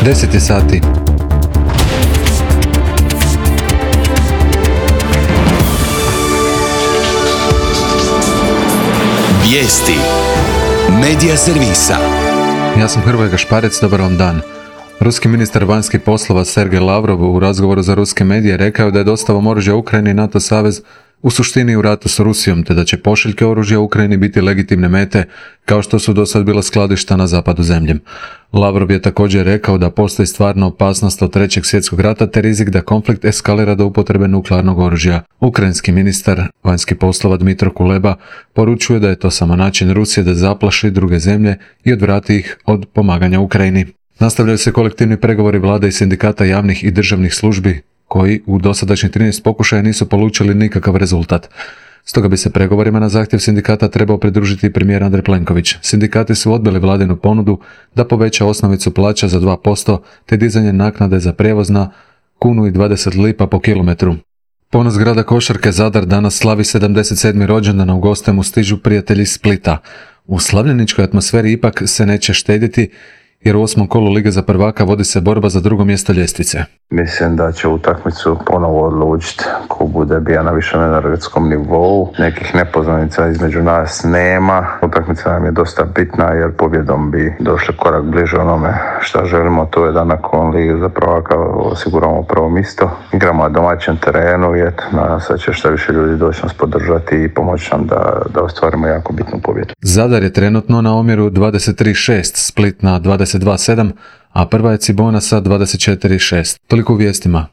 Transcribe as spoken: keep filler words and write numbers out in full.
deset je sati. Vijesti Medija servisa. Ja sam Hrvoje Gašparec, dobar vam dan. Ruski ministar vanjskih poslova Sergej Lavrov u razgovoru za ruske medije rekao da je dostavom oružja Ukrajini NATO savez u suštini u ratu s Rusijom, te da će pošiljke oružja Ukrajini biti legitimne mete, kao što su do sad bila skladišta na zapadu zemlje. Lavrov je također rekao da postoji stvarna opasnost od trećeg svjetskog rata te rizik da konflikt eskalira do upotrebe nuklearnog oružja. Ukrajinski ministar vanjskih poslova Dmitro Kuleba poručuje da je to samo način Rusije da zaplaši druge zemlje i odvrati ih od pomaganja Ukrajini. Nastavljaju se kolektivni pregovori vlade i sindikata javnih i državnih službi koji u dosadašnjih trinaest pokušaja nisu polučili nikakav rezultat. Stoga bi se pregovorima na zahtjev sindikata trebao pridružiti i premijer Andrej Plenković. Sindikati su odbili vladinu ponudu da poveća osnovicu plaća za dva posto te dizanje naknade za prijevoz na kunu i dvadeset lipa po kilometru. Ponos grada košarke Zadar danas slavi sedamdeset sedmi rođendan, a u goste mu stižu prijatelji iz Splita. U slavljeničkoj atmosferi ipak se neće štediti, jer u osmom kolu Lige za prvaka vodi se borba za drugo mjesto ljestvice. Mislim da će utakmicu ponovo odlučiti ko bude bio na višem energetskom nivou. Nekih nepoznanica između nas nema. Utakmica nam je dosta bitna jer pobjedom bi došli korak bliže onome što želimo. To je da nakon Lige za prvaka osiguramo prvo mjesto. Igramo na domaćem terenu i eto, nadam se da će što više ljudi doći nas podržati i pomoći nam da, da ostvarimo jako bitnu pobjedu. Zadar je trenutno na omjeru dvadeset tri šest, Split na dvadeset dva sedam, a prva je Cibona sa dvadeset četiri šest. Toliko u vijestima.